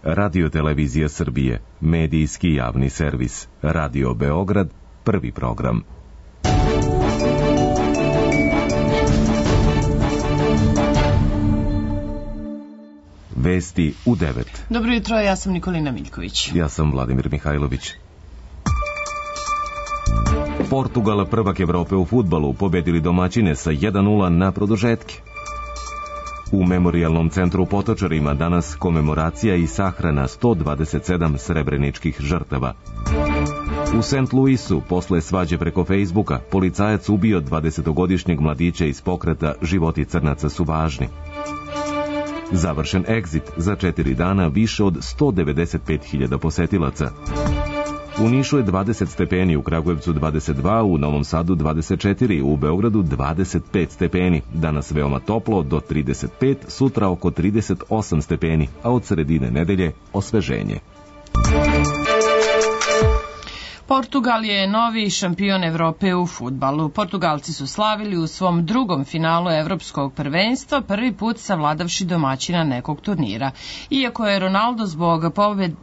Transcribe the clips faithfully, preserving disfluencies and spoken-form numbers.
Radio-televizija Srbije, medijski javni servis, Radio Beograd, prvi program. Vesti u devet. Dobro jutro, ja sam Nikolina Miljković. Ja sam Vladimir Mihajlović. Portugal, prvak Evrope u fudbalu, pobedili domaćine sa jedan nula na produžetke. U Memorijalnom centru u Potočarima danas komemoracija i sahrana sto dvadeset sedam srebreničkih žrtava. U Sent Luisu, posle svađe preko Fejsbuka, policajac ubio dvadesetogodišnjeg mladića iz pokreta Životi crnaca su važni. Završen egzit, za četiri dana više od sto devedeset pet hiljada posetilaca. U Nišu je dvadeset stepeni, u Kragujevcu dvadeset dva, u Novom Sadu dvadeset četiri, u Beogradu dvadeset pet stepeni. Danas veoma toplo, do trideset pet, sutra oko trideset osam stepeni, a od sredine nedelje osveženje. Portugal je novi šampion Evrope u fudbalu. Portugalci su slavili u svom drugom finalu evropskog prvenstva, prvi put savladavši domaćina nekog turnira. Iako je Ronaldo zbog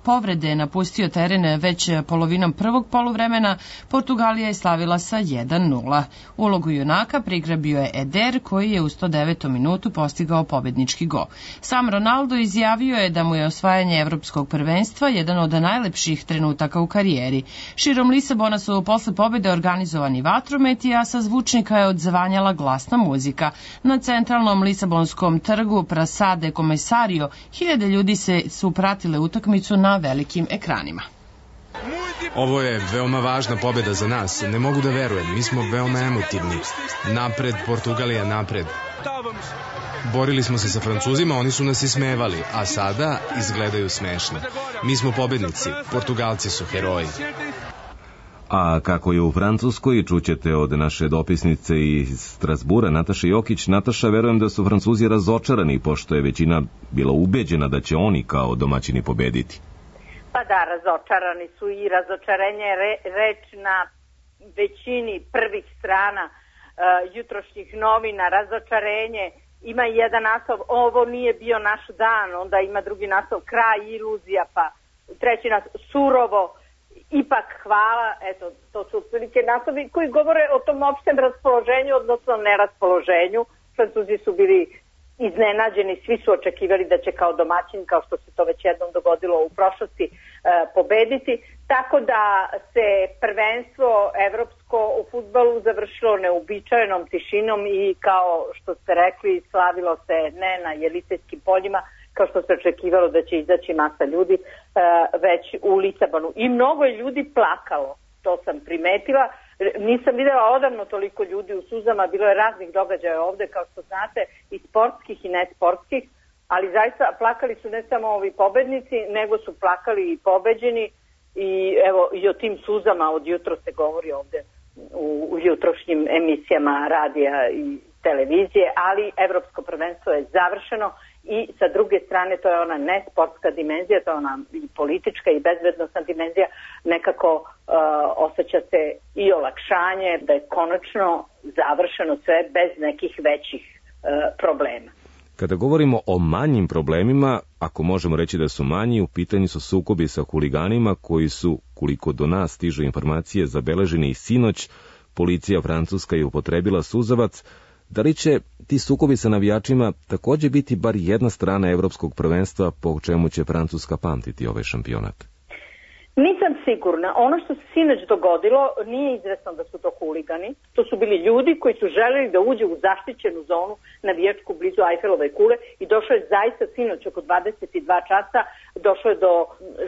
povrede napustio teren već polovinom prvog poluvremena, Portugalija je slavila sa jedan nula. Ulogu junaka prigrabio je Eder, koji je u sto devetom minutu postigao pobednički gol. Sam Ronaldo izjavio je da mu je osvajanje evropskog prvenstva jedan od najlepših trenutaka u karijeri. Širom Lisabona su posle pobede organizovani vatrometi, a sa zvučnika je odzvanjala glasna muzika. Na centralnom Lisabonskom trgu Praça de Comercio hiljade ljudi se su pratile utakmicu na velikim ekranima. Ovo je veoma važna pobeda za nas. Ne mogu da verujem, mi smo veoma emotivni. Napred, Portugalija, napred. Borili smo se sa Francuzima, oni su nas ismevali, a sada izgledaju smešno. Mi smo pobednici, Portugalci su heroji. A kako je u Francuskoj, čućete od naše dopisnice iz Strasbura, Nataše Jokić. Nataša, verujem da su Francuzi razočarani, pošto je većina bila ubeđena da će oni kao domaćini pobediti. Pa da, razočarani su i razočarenje re, reč na većini prvih strana uh, jutrošnjih novina. Razočarenje, ima jedan naslov, ovo nije bio naš dan, onda ima drugi naslov, kraj iluzija, pa treći naslov, surovo, ipak hvala. Eto, to su otprilike naslovi koji govore o tom opštem raspoloženju, odnosno neraspoloženju. Francuzi su bili iznenađeni, svi su očekivali da će kao domaćin, kao što se to već jednom dogodilo u prošlosti, pobediti. Tako da se prvenstvo evropsko u fudbalu završilo neuobičajenom tišinom i, kao što ste rekli, slavilo se ne na Jelisejskim poljima, kao što se očekivalo da će izaći masa ljudi, već u Lisabonu. I mnogo je ljudi plakalo, to sam primetila. Nisam videla odavno toliko ljudi u suzama, bilo je raznih događaja ovde, kao što znate, i sportskih i nesportskih, ali zaista plakali su ne samo ovi pobednici, nego su plakali i pobeđeni, i evo i o tim suzama od jutro se govori ovde u, u jutrošnjim emisijama radija i televizije, ali evropsko prvenstvo je završeno i sa druge strane to je ona nesportska dimenzija, to je ona i politička i bezbednosna dimenzija, nekako uh, osjeća se i olakšanje da je konačno završeno sve bez nekih većih uh, problema. Kada govorimo o manjim problemima, ako možemo reći da su manji, u pitanju su sukobi sa huliganima koji su, koliko do nas stižu informacije, zabeleženi i sinoć. Policija francuska je upotrebila suzavac. Da li će ti sukobi sa navijačima takođe biti bar jedna strana evropskog prvenstva, po čemu će Francuska pamtiti ovaj šampionat? Nisam sigurna. Ono što se sinoć dogodilo nije izvesno da su to huligani. To su bili ljudi koji su želeli da uđe u zaštićenu zonu navijačku blizu Ajfelove kule i došlo je zaista sinoć oko dvadeset dva časa, došlo je do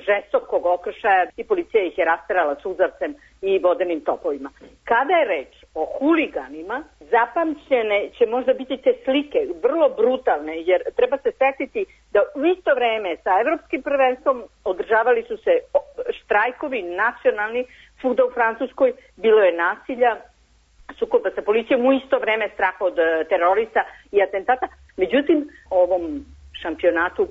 žestokog okršaja i policija ih je rasterala suzavcem i vodenim topovima. Kada je reč o huliganima, zapamćene će možda biti te slike, vrlo brutalne, jer treba se setiti da u isto vreme sa evropskim prvenstvom održavali su se štrajkovi nacionalni svuda u Francuskoj, bilo je nasilja, sukoba sa policijom, u isto vreme strah od terorista i atentata. Međutim, ovom šampionatu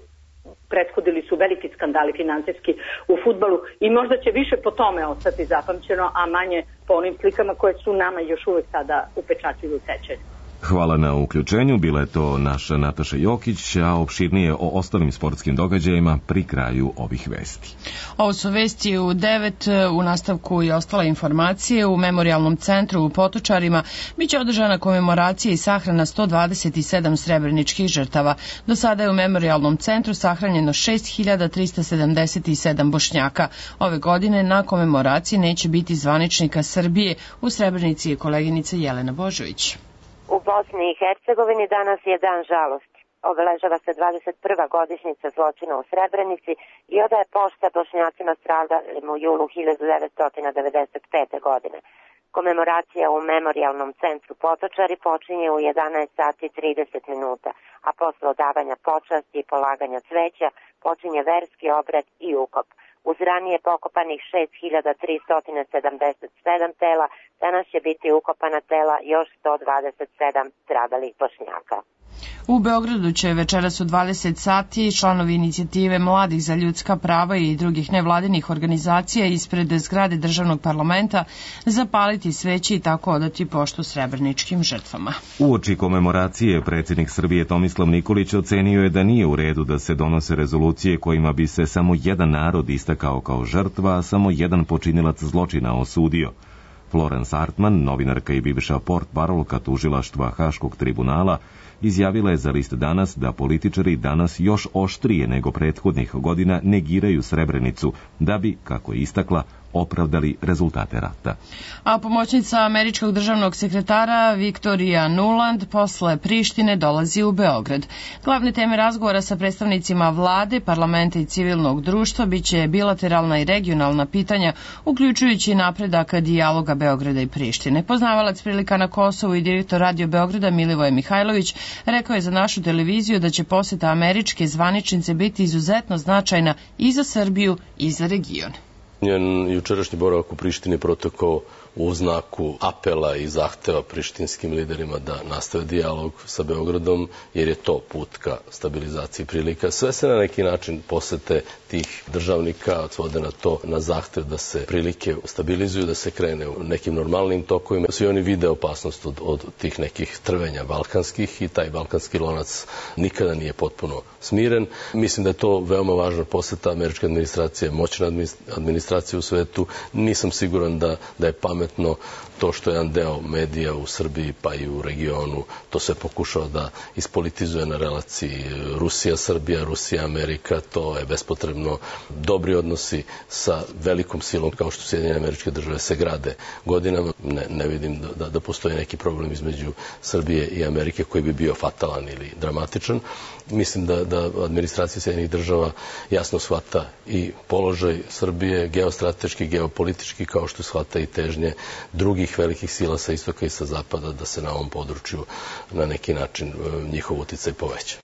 prethodili su veliki skandali finansijski u fudbalu i možda će više po tome ostati zapamćeno, a manje po onim slikama koje su nama još uvek sada upečatljivo u sećanju. Hvala na uključenju, bila je to naša Nataša Jokić, a opširnije o ostalim sportskim događajima pri kraju ovih vesti. Ovo su vesti u devet, u nastavku i ostale informacije. U Memorijalnom centru u Potočarima biće održana komemoracija i sahrana sto dvadeset sedam srebreničkih žrtava. Do sada je u Memorijalnom centru sahranjeno šest hiljada trista sedamdeset sedam Bošnjaka. Ove godine na komemoraciji neće biti zvaničnika Srbije. U Srebrenici je koleginica Jelena Božović. U Bosni i Hercegovini danas je dan žalosti. Obeležava se dvadeset prva godišnjica zločina u Srebrenici i odaje pošta Bošnjacima stradalim u julu hiljadu devetsto devedeset pete. godine. Komemoracija u Memorijalnom centru Potočari počinje u jedanaest sati i trideset minuta, a posle odavanja počasti i polaganja cveća počinje verski obrad i ukop. Uz ranije pokopanih šest hiljada tristo sedamdeset sedam tela, danas će biti ukopana tela još sto dvadeset sedam stradalih Bošnjaka. U Beogradu će večeras u dvadeset sati članovi inicijative Mladih za ljudska prava i drugih nevladinih organizacija ispred zgrade državnog parlamenta zapaliti sveće i tako odati poštu srebreničkim žrtvama. Uoči komemoracije predsjednik Srbije Tomislav Nikolić ocenio je da nije u redu da se donose rezolucije kojima bi se samo jedan narod istakao kao žrtva, a samo jedan počinilac zločina osudio. Florence Hartman, novinarka i bivša portparolka tužilaštva Haškog tribunala, izjavila je za list Danas da političari danas još oštrije nego prethodnih godina negiraju Srebrenicu da bi, kako je istakla, opravdali rezultate rata. A pomoćnica američkog državnog sekretara Viktorija Nuland posle Prištine dolazi u Beograd. Glavne teme razgovora sa predstavnicima vlade, parlamenta i civilnog društva biće bilateralna i regionalna pitanja, uključujući napredak dijaloga Beograda i Prištine. Poznavalac prilika na Kosovu i direktor Radio Beograda Milivoje Mihajlović rekao je za našu televiziju da će poseta američke zvaničnice biti izuzetno značajna i za Srbiju i za region. Njen jučerašnji boravak u Prištini protekao u znaku apela i zahteva prištinskim liderima da nastave dijalog sa Beogradom, jer je to put ka stabilizaciji prilika. Sve se na neki način posete tih državnika svode na to, na zahtev da se prilike stabilizuju, da se krene u nekim normalnim tokovima. Svi oni vide opasnost od, od tih nekih trvenja balkanskih i taj balkanski lonac nikada nije potpuno smiren. Mislim da je to veoma važna poseta. Američka administracija je moćna administracija u svetu. Nisam siguran da, da je pametno to što je jedan deo medija u Srbiji pa i u regionu, to se pokušao da ispolitizuje na relaciji Rusija-Srbija, Rusija-Amerika, to je bespotrebno. Dobri odnosi sa velikom silom kao što Sjedinjene Američke Države se grade godinama. Ne, ne vidim da, da postoji neki problem između Srbije i Amerike koji bi bio fatalan ili dramatičan. Mislim da, da administracija Sjedinjenih Država jasno shvata i položaj Srbije, geostrateški, geopolitički, kao što shvata i težnje drugih velikih sila sa istoka i sa zapada da se na ovom području na neki način njihov uticaj poveća.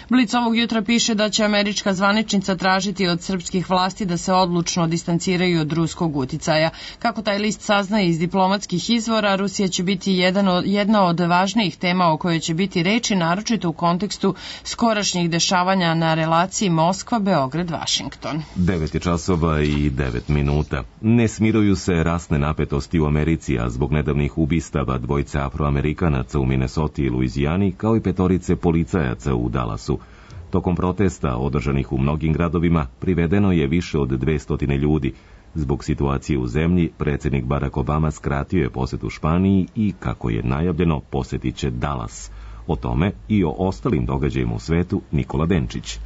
Blic ovog jutra piše da će američka zvaničnica tražiti od srpskih vlasti da se odlučno distanciraju od ruskog uticaja. Kako taj list saznaje iz diplomatskih izvora, Rusija će biti jedan od, jedna od važnijih tema o kojoj će biti reči, naročito u kontekstu skorašnjih dešavanja na relaciji Moskva-Beograd-Vašington. devet je časova i devet minuta. Ne smiruju se rasne napetosti u Americi, a zbog nedavnih ubistava dvojice Afroamerikanaca u Minnesoti i Luizijani, kao i petorice policajaca u Dallasu. Tokom protesta održanih u mnogim gradovima privedeno je više od dvesta ljudi. Zbog situacije u zemlji, predsjednik Barack Obama skratio je posetu Španiji i, kako je najavljeno, posetit će Dallas. O tome i o ostalim događajima u svetu Nikola Denčić.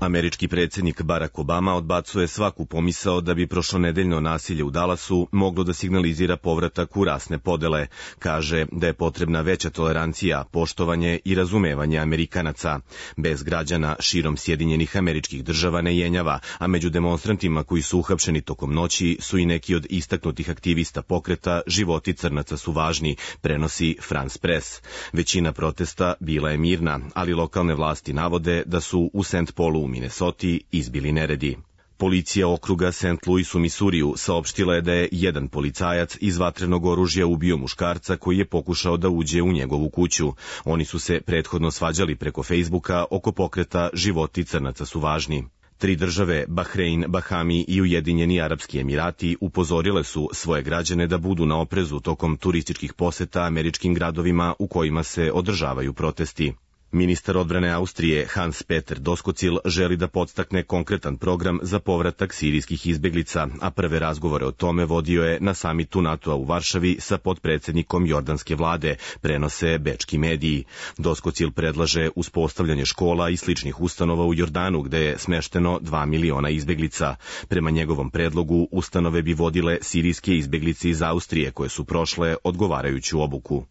Američki predsjednik Barack Obama odbacuje svaku pomisao da bi prošlonedeljno nasilje u Dallasu moglo da signalizira povratak u rasne podele. Kaže da je potrebna veća tolerancija, poštovanje i razumevanje Amerikanaca. Bez građana širom Sjedinjenih Američkih Država ne jenjava, a među demonstrantima koji su uhapšeni tokom noći su i neki od istaknutih aktivista pokreta Životi crnaca su važni, prenosi France Press. Većina protesta bila je mirna, ali lokalne vlasti navode da su u Saint Paulu u Minnesoti izbili neredi. Policija okruga Saint Louis u Misuriju saopštila je da je jedan policajac iz vatrenog oružja ubio muškarca koji je pokušao da uđe u njegovu kuću. Oni su se prethodno svađali preko Facebooka oko pokreta Životi crnaca su važni. Tri države, Bahrein, Bahami i Ujedinjeni Arapski Emirati, upozorile su svoje građane da budu na oprezu tokom turističkih poseta američkim gradovima u kojima se održavaju protesti. Ministar odbrane Austrije Hans-Peter Doskozil želi da podstakne konkretan program za povratak sirijskih izbeglica, a prve razgovore o tome vodio je na samitu NATO-a u Varšavi sa potpredsednikom jordanske vlade, prenose bečki mediji. Doskozil predlaže uspostavljanje škola i sličnih ustanova u Jordanu, gde je smešteno dva miliona izbeglica. Prema njegovom predlogu, ustanove bi vodile sirijske izbeglice iz Austrije koje su prošle odgovarajuću obuku.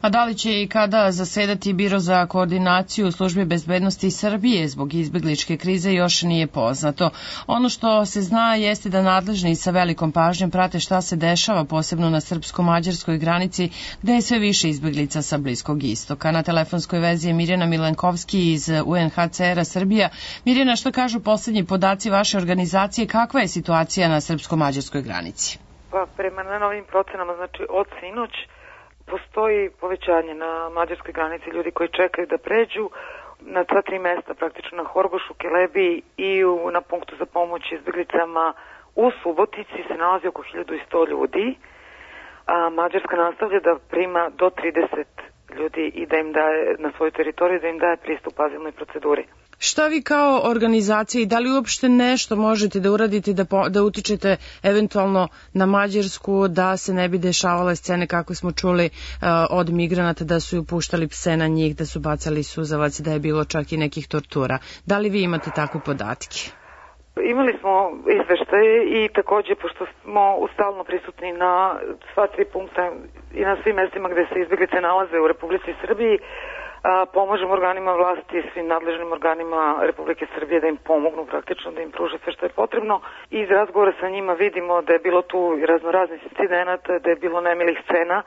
A da li će i kada zasedati Biro za koordinaciju službe bezbednosti Srbije zbog izbegličke krize još nije poznato. Ono što se zna jeste da nadležni sa velikom pažnjom prate šta se dešava, posebno na srpsko-mađarskoj granici, gde je sve više izbeglica sa Bliskog istoka. Na telefonskoj vezi je Mirjana Milenkovski iz U N H C R-a Srbija. Mirjana, što kažu poslednji podaci vaše organizacije, kakva je situacija na srpsko-mađarskoj granici? Pa prema najnovijim procenama, znači od sinoć, postoji povećanje na mađarskoj granici ljudi koji čekaju da pređu na sva tri mesta, praktično na Horgošu, Kelebi i u, na punktu za pomoć izbeglicama u Subotici se nalazi oko hiljadu sto ljudi, a Mađarska nastavlja da prima do trideset ljudi i da im daje na svoju teritoriju, da im daje pristup azilnoj proceduri. Šta vi kao organizacija i da li uopšte nešto možete da uradite da, po, da utičete eventualno na Mađarsku da se ne bi dešavale scene kako smo čuli uh, od migranata da su puštali pse na njih, da su bacali suzavac, da je bilo čak i nekih tortura. Da li vi imate takve podatke? Imali smo izveštaje i takođe, pošto smo stalno prisutni na sva tri punkta i na svim mestima gde se izbeglice nalaze u Republici Srbiji, a, pomažemo organima vlasti i svim nadležnim organima Republike Srbije da im pomognu praktično, da im pruže sve što je potrebno. I iz razgovora sa njima vidimo da je bilo tu raznoraznih incidenata, da je bilo nemilih scena.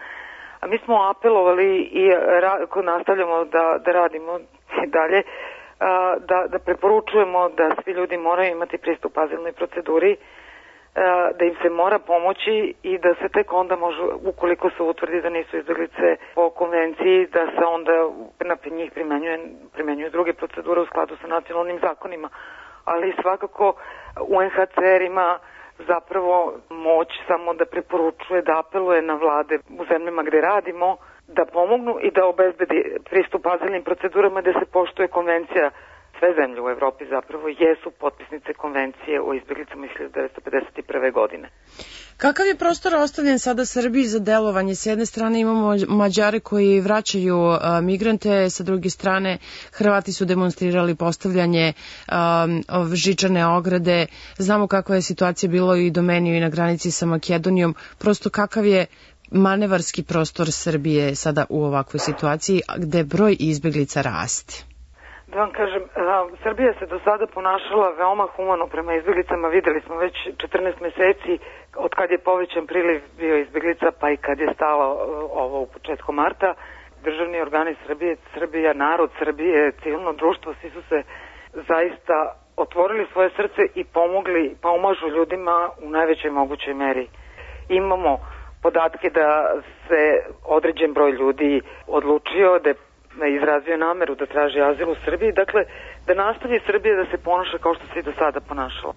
A mi smo apelovali i ra, nastavljamo da, da radimo i dalje, Da, da preporučujemo da svi ljudi moraju imati pristup azilnoj proceduri, da im se mora pomoći i da se tek onda može, ukoliko se utvrdi da nisu izbeglice po konvenciji, da se onda na njih primenjuje, primenjuju druge procedure u skladu sa nacionalnim zakonima. Ali svakako U N H C R ima zapravo moć samo da preporučuje, da apeluje na vlade u zemljama gde radimo, da pomognu i da obezbedi pristup azilnim procedurama, da se poštuje konvencija. Sve zemlje u Evropi zapravo jesu potpisnice konvencije o izbeglicama iz hiljadu devetsto pedeset prve. godine. Kakav je prostor ostavljen sada Srbiji za delovanje? S jedne strane imamo Mađare koji vraćaju a, migrante, sa druge strane Hrvati su demonstrirali postavljanje a, žičane ograde. Znamo kakva je situacija bilo i do Meniju i na granici sa Makedonijom. Prosto kakav je manevarski prostor Srbije sada u ovakvoj situaciji gde broj izbeglica raste? Da vam kažem, Srbija se do sada ponašala veoma humano prema izbeglicama. Videli smo već četrnaest meseci od kad je povećan priliv bio izbeglica, pa i kad je stalo ovo u početku marta. Državni organi Srbije, Srbija, narod Srbije, civilno društvo, svi su se zaista otvorili svoje srce i pomogli, pomažu ljudima u najvećoj mogućoj meri. Imamo podatke da se određen broj ljudi odlučio, da je izrazio nameru da traži azil u Srbiji, dakle da nastavi Srbija da se ponaša kao što se i do sada ponašala.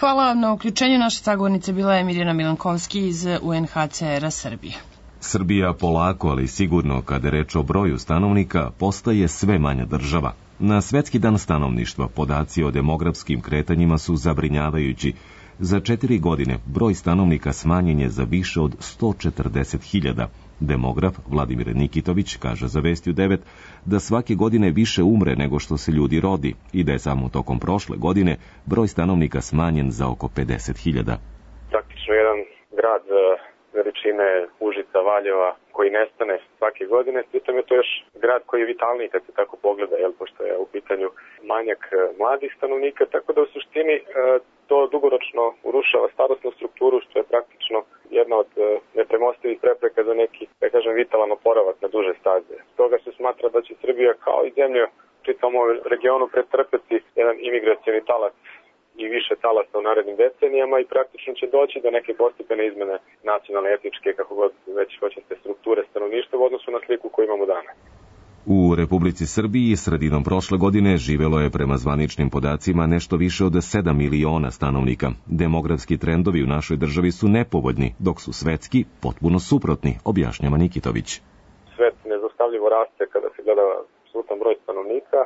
Hvala vam na uključenju. Naša sagovornica bila je Mirjana Milenkovski iz U N H C R-a Srbije. Srbija polako, ali sigurno, kada je reč o broju stanovnika, postaje sve manja država. Na Svetski dan stanovništva podaci o demografskim kretanjima su zabrinjavajući. Za četiri godine broj stanovnika smanjen je za više od sto četrdeset hiljada. Demograf Vladimir Nikitović kaže za Vesti u devet da svake godine više umre nego što se ljudi rodi i da je samo tokom prošle godine broj stanovnika smanjen za oko pedeset hiljada. Praktično jedan grad veličine Užica, Valjeva koji nestane svake godine, pritom je to još grad koji je vitalniji kad se tako pogleda, jel, pošto je u pitanju manjak mladih stanovnika, tako da u suštini to dugoročno urušava starosnu strukturu, što je praktično jedna od nepremostivih prepreka za neki, da kažem, vitalan oporavak na duže staze. Stoga se smatra da će Srbija kao i zemlja u čitavom regionu pretrpeti jedan imigracioni talas i više talasa u narednim decenijama i praktično će doći do neke postepene izmene nacionalne, etničke, kako god već hoćete, strukture stanovništva u odnosu na sliku koju imamo danas. U Republici Srbiji sredinom prošle godine živelo je prema zvaničnim podacima nešto više od sedam miliona stanovnika. Demografski trendovi u našoj državi su nepovoljni, dok su svetski potpuno suprotni, objašnjava Nikitović. Svet nezaustavljivo raste kada se gleda apsolutan broj stanovnika,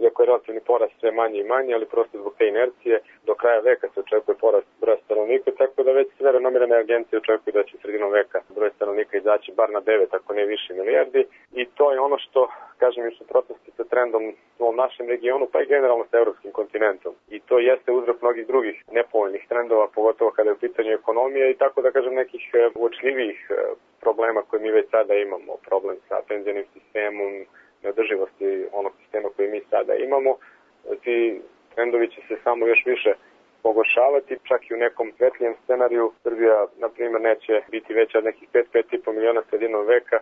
iako je relativni porast sve manje i manje, ali prosto zbog te inercije do kraja veka se očekuje porast broja stanovnika, tako da već sve renomirane agencije očekuju da će sredinom veka broj stanovnika izaći bar na devet, ako ne više milijardi. I to je ono što, kažem, u suprotnosti sa trendom u ovom našem regionu, pa i generalno sa evropskim kontinentom. I to jeste uzrok mnogih drugih nepovoljnih trendova, pogotovo kada je u pitanju ekonomija i tako da kažem nekih uočljivijih problema koje mi već sada imamo. Problem sa penzionim sistemom, neodrživosti onog sistema koji mi sada imamo. Ti trendovi će se samo još više pogoršavati, čak i u nekom svetlijem scenariju. Srbija, na primjer, neće biti veća od nekih pet do pet i po miliona sredinom veka.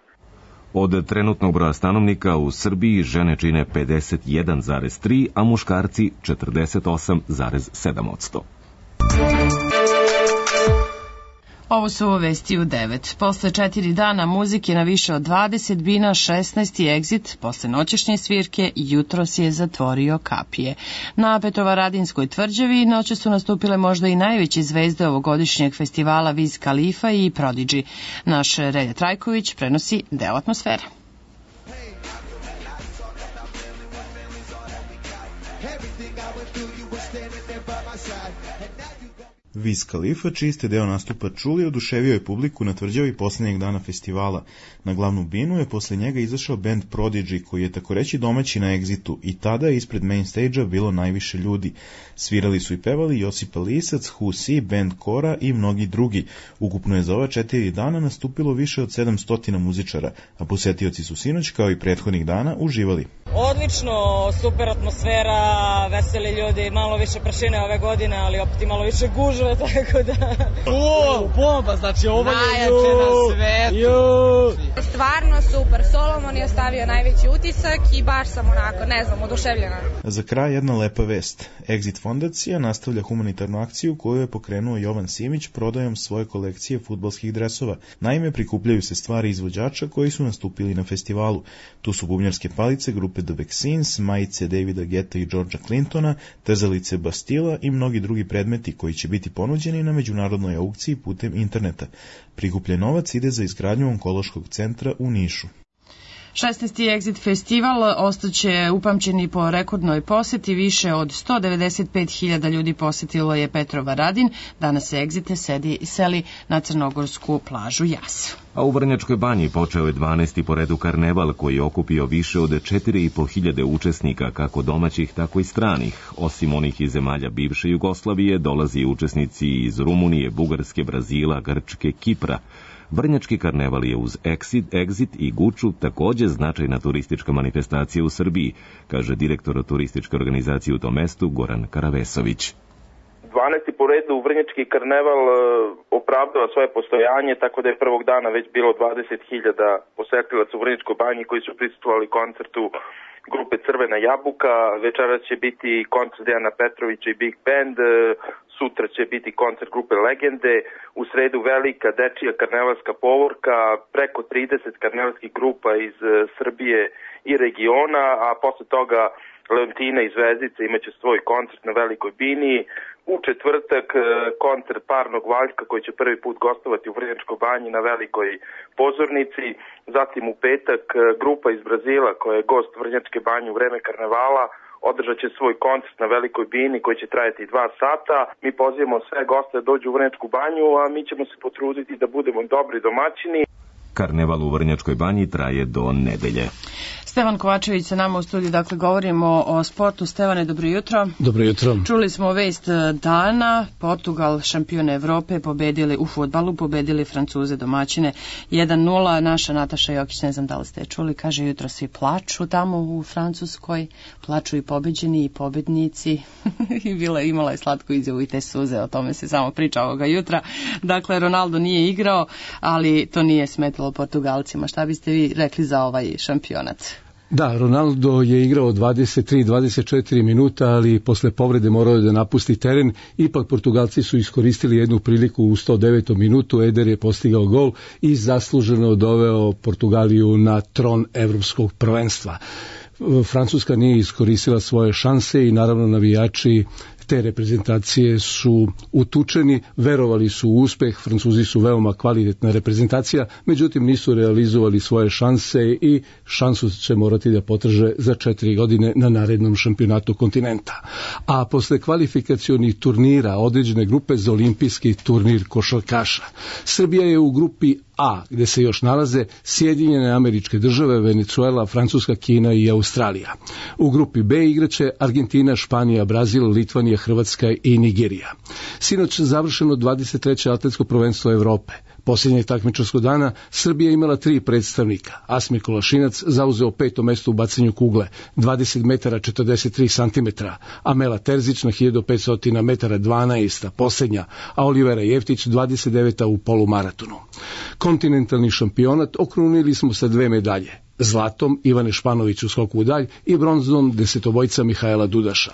Od trenutnog broja stanovnika u Srbiji žene čine pedeset jedan zarez tri, a muškarci četrdeset osam zarez sedam posto. Ovo su vesti u devet. Posle četiri dana muzike na više od dvadeset bina, šesnaesti Exit, posle noćešnje svirke, jutros je zatvorio kapije. Na Petrovaradinskoj tvrđavi noće su nastupile možda i najveće zvezde ovogodišnjeg festivala Wiz Khalifa i Prodigy. Naš Relja Trajković prenosi deo atmosfere. Wiz Khalifa, čiji ste deo nastupa čuli, oduševio je publiku na tvrđavi posljednjeg dana festivala. Na glavnu binu je posle njega izašao band Prodigy, koji je tako reći domaći na Exitu, i tada je ispred main stage-a bilo najviše ljudi. Svirali su i pevali Josipa Lisac, Who See, band Kora i mnogi drugi. Ukupno je za ova četiri dana nastupilo više od sedamsto muzičara, a posetioci su sinoć, kao i prethodnih dana, uživali. Odlično, super atmosfera, veseli ljudi, malo više prašine ove godine, ali opet i malo više gužve, tako da... O, bomba, znači ovo je... Najjače na svetu! Stvarno super, Solomon je ostavio najveći utisak i baš sam onako, ne znam, oduševljena. Za kraj jedna lepa vest. Exit fondacija nastavlja humanitarnu akciju koju je pokrenuo Jovan Simić prodajom svoje kolekcije fudbalskih dresova. Naime, prikupljaju se stvari izvođača koji su nastupili na festivalu. Tu su bubnjarske palice grupe The Vaccines, majice Davida Getta i Georgea Clintona, trzalice Bastila i mnogi drugi predmeti koji će biti ponuđeni na međunarodnoj aukciji putem interneta. Prikupljen novac ide za izgradnju onkološkog centra u Nišu. šesnaesti Exit festival ostaće upamćeni po rekordnoj poseti, više od sto devedeset pet hiljada ljudi posetilo je Petrovaradin, danas se Exit sedi, seli na crnogorsku plažu Jas. A u Vrnjačkoj banji počeo je dvanaesti po redu karneval koji je okupio više od četiri i po hiljade učesnika, kako domaćih, tako i stranih. Osim onih iz zemalja bivše Jugoslavije, dolazi i učesnici iz Rumunije, Bugarske, Brazila, Grčke, Kipra. Vrnjački karneval je uz Exit, Exit i Guču takođe značajna turistička manifestacija u Srbiji, kaže direktor turističke organizacije u tom mestu Goran Karavesović. dvanaesti po redu Vrnjački karneval opravdava svoje postojanje, tako da je prvog dana već bilo dvadeset hiljada posetilaca u Vrnjačkoj banji koji su prisustvovali koncertu grupe Crvena jabuka. Večeras će biti koncert Dejana Petrovića i Big Band, sutra će biti koncert grupe Legende, u sredu velika dečija karnevalska povorka, preko trideset karnevalskih grupa iz Srbije i regiona, a posle toga Leontina i Zvezdica imaće svoj koncert na Velikoj bini. U četvrtak koncert Parnog Valjka koji će prvi put gostovati u Vrnjačkoj banji na Velikoj pozornici. Zatim u petak grupa iz Brazila koja je gost Vrnjačke banje u vreme karnevala održat će svoj koncert na Velikoj bini koji će trajati dva sata. Mi pozivamo sve goste da dođu u Vrnjačku banju, a mi ćemo se potruditi da budemo dobri domaćini. Karneval u Vrnjačkoj banji traje do nedelje. Stevan Kovačević sa nama u studiju, dakle govorimo o sportu. Stevane, dobro jutro. Dobro jutro. Čuli smo vest dana, Portugal, šampion Evrope, pobedili u fudbalu, pobedili Francuze domaćine jedan nula. Naša Nataša Jokić, ne znam da li ste čuli, kaže jutro svi plaču tamo u Francuskoj, plaču i pobeđeni i pobednici. I bila, imala je slatku izjavu i te suze, o tome se samo priča ovoga jutra. Dakle, Ronaldo nije igrao, ali to nije smetalo Portugalcima. Šta biste vi rekli za ovaj šampionat? Da, Ronaldo je igrao dvadeset tri dvadeset četiri minuta, ali posle povrede morao je da napusti teren. Ipak Portugalci su iskoristili jednu priliku u sto devetom minutu. Eder je postigao gol i zasluženo doveo Portugaliju na tron evropskog prvenstva. Francuska nije iskoristila svoje šanse i naravno navijači te reprezentacije su utučeni, verovali su u uspeh, Francuzi su veoma kvalitetna reprezentacija, međutim nisu realizovali svoje šanse i šansu će morati da potraže za četiri godine na narednom šampionatu kontinenta. A posle kvalifikacionih turnira određene grupe za olimpijski turnir košarkaša, Srbija je u grupi A, gde se još nalaze Sjedinjene Američke Države, Venecuela, Francuska, Kina i Australija. U grupi B igraće Argentina, Španija, Brazil, Litvanija, Hrvatska i Nigerija. Sinoć završeno dvadeset treće atletsko prvenstvo Evrope. Posljednjeg takmičarskog dana Srbija imala tri predstavnika. Asmir Kolašinac zauzeo peto mesto u bacanju kugle, dvadeset metara četrdeset tri santimetra, Amela Terzić na hiljadu petsto metara dvanaest, posljednja, a Olivera Jeftić dvadeset deveta u polumaratonu. Kontinentalni šampionat okrunili smo sa dve medalje. Zlatom Ivane Španović u skoku u dalj i bronzom desetobojca Mihajla Dudaša.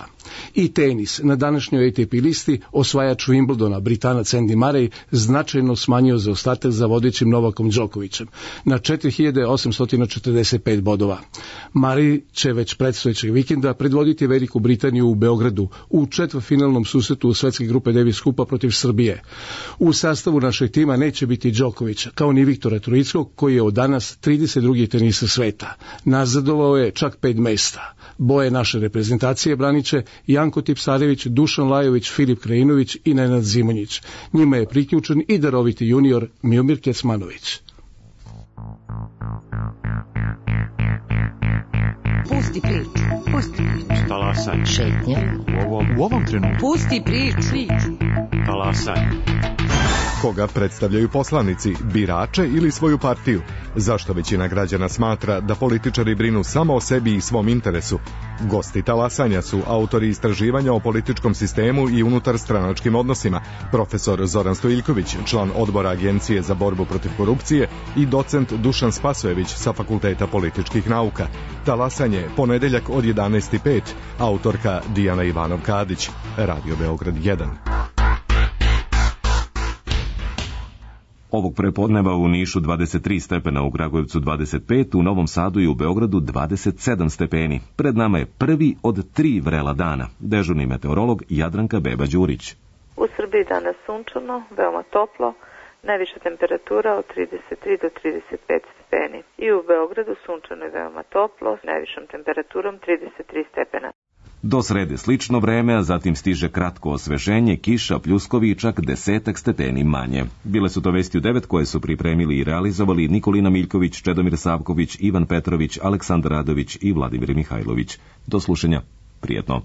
I tenis. Na današnjoj A T P listi osvajač Wimbledona, Britanac Andy Murray, značajno smanjio zaostatak za vodećim Novakom Đokovićem na četiri hiljade osamsto četrdeset pet bodova. Murray će već predstojećeg vikenda predvoditi Veliku Britaniju u Beogradu u četvrtfinalnom susretu u svetske grupe Davis Kupa protiv Srbije. U sastavu našeg tima neće biti Đokovića, kao ni Viktora Troickog, koji je od danas trideset drugi tenisa sveta. Nazadovao je čak pet mesta. Boje naše reprezentacije braniće Janko Tipsarević, Dušan Lajović, Filip Krajinović i Nenad Zimonjić. Njima je priključen i daroviti junior Miomir Kecmanović. Pusti priču, pusti priču. Talasaj. Šetnja. U ovom, u ovom trenutku. Pusti priču. Talasaj. Koga predstavljaju poslanici, birače ili svoju partiju? Zašto većina građana smatra da političari brinu samo o sebi i svom interesu? Gosti talasanja su autori istraživanja o političkom sistemu i unutar stranačkim odnosima, profesor Zoran Stojiljković, član odbora Agencije za borbu protiv korupcije i docent Dušan Spasojević sa Fakulteta političkih nauka. Talasanje, ponedeljak od jedanaest i pet, autorka Dijana Ivanov-Kadić, Radio Beograd jedan. Ovog prepodneva u Nišu dvadeset tri stepena, u Kragujevcu dvadeset pet, u Novom Sadu i u Beogradu dvadeset sedam stepeni. Pred nama je prvi od tri vrela dana. Dežurni meteorolog Jadranka Beba-Đurić. U Srbiji danas sunčano, veoma toplo, najviša temperatura od trideset tri do trideset pet stepeni. I u Beogradu sunčano i veoma toplo, s najvišom temperaturom trideset tri stepena. Do srede slično vreme, a zatim stiže kratko osveženje, kiša, pljuskovi i čak desetak stepeni manje. Bile su to vesti u devet koje su pripremili i realizovali Nikolina Miljković, Čedomir Savković, Ivan Petrović, Aleksandar Radović i Vladimir Mihajlović. Do slušanja. Prijetno.